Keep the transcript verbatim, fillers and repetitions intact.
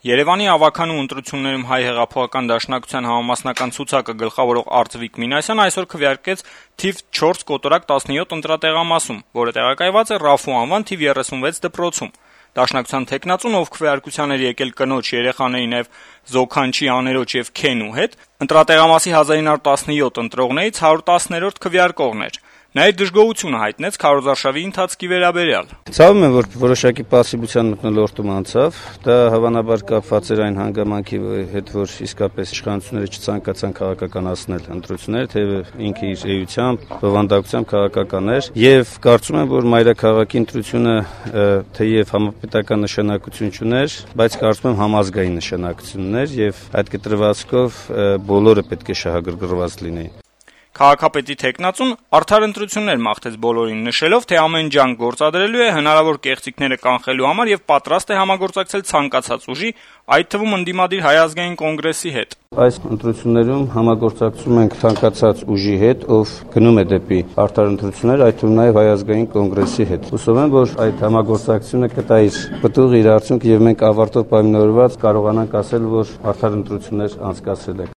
Երևանի ավագանու ընտրություններում Հայ հեղափոխական դաշնակցության համամասնական ցուցակը գլխավորող Արծվիկ Մինասյանը այսօր քվեարկեց թիվ չորս կոտորակ տասնյոթ ընտրատեղամասում, որը տեղակայված է Ռաֆու անվան թիվ երեսունվեց դպրոցում։ Դաշնակցության թեկնածուն, ով քվեարկության էր եկել կնոջ, երեխաների, նաև Զոքանչի աներոջ եւ Քենու հետ, ընտրատեղամասի հազար ինը հարյուր տասնյոթ ընտրողներից հարյուր տասներորդ քվեարկողն էր։ Նա իր դժգոհությունը հայտնեց քարոզարշավի ընթացքի վերաբերյալ։ Ցավում եմ, որ որոշակի պասիվության մթնոլորտում անցավ, դա հավանաբար կապված էր այն հանգամանքի հետ, որ իսկապես իշխանությունները չցանկացան քաղաքականացնել ընտրությունները, թեև ինքը իր էությամբ, բովանդակությամբ քաղաքական էր, եւ կարծում եմ, որ մայրաքաղաքի ընտրությունը թեև համապետական նշանակություն չուներ, բայց կարծում եմ համազգային նշանակություն ուներ եւ այդ կտրվածքով բոլորը պետք է շահագրգռված լինեին։ Քաղաքապետի թեկնածուն արդար ընտրություններ մաղթեց բոլորին, նշելով, թե ամեն ջանք գործադրելու է հնարավոր կեղծիքները կանխելու համար եւ պատրաստ է համագործակցել ցանկացած ուժի, այդ թվում ընդդիմադիր Հայ ազգային կոնգրեսի հետ։ Այս ընտրություններում համագործակցում ենք ցանկացած ուժի հետ, ով գնում է դեպի արդար ընտրություններ, այդ թվում նաեւ Հայ ազգային կոնգրեսի հետ։ Հուսով եմ, որ այդ համագործակցությունը կտա իր պտուղ, իր արդյունք եւ մենք ավարտով պայմանավորված կարողանանք ասել, որ արդար ընտրություններ անցկացրել ենք։